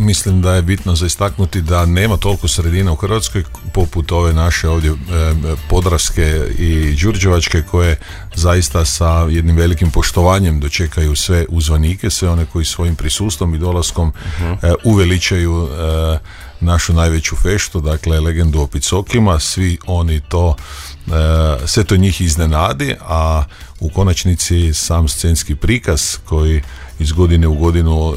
mislim da je bitno za istaknuti da nema toliko sredina u Hrvatskoj poput ove naše ovdje podravske i đurđevačke, koje zaista sa jednim velikim poštovanjem dočekaju sve uzvanike, sve one koji svojim prisustvom i dolaskom uveličaju našu najveću feštu, dakle legendu o Picokima. Svi oni to, sve to njih iznenadi, a u konačnici sam scenski prikaz koji iz godine u godinu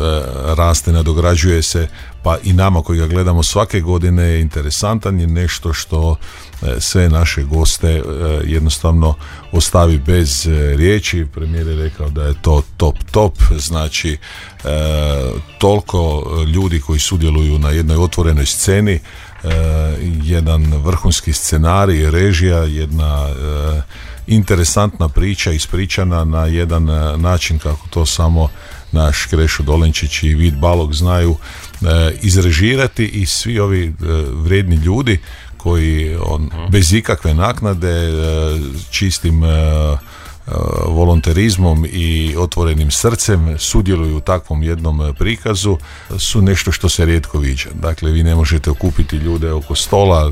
raste, nadograđuje se, pa i nama koji ga gledamo svake godine je interesantan, je nešto što sve naše goste jednostavno ostavi bez riječi. Premijer je rekao da je to top, znači toliko ljudi koji sudjeluju na jednoj otvorenoj sceni, jedan vrhunski scenarij, režija, jedna interesantna priča ispričana na jedan način kako to samo naš Krešo Dolenčić i Vid Balog znaju izrežirati, i svi ovi vrijedni ljudi koji bez ikakve naknade, čistim volonterizmom i otvorenim srcem sudjeluju u takvom jednom prikazu, su nešto što se rijetko viđa. Dakle, vi ne možete okupiti ljude oko stola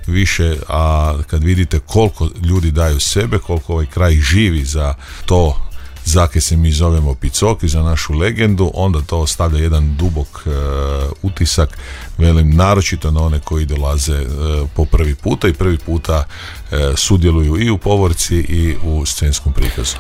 više, a kad vidite koliko ljudi daju sebe, koliko ovaj kraj živi za to zake se mi zovemo Picoki, za našu legendu, onda to ostavlja jedan dubok utisak, velim, naročito na one koji dolaze po prvi puta i prvi puta sudjeluju i u povorci i u scenskom prikazu.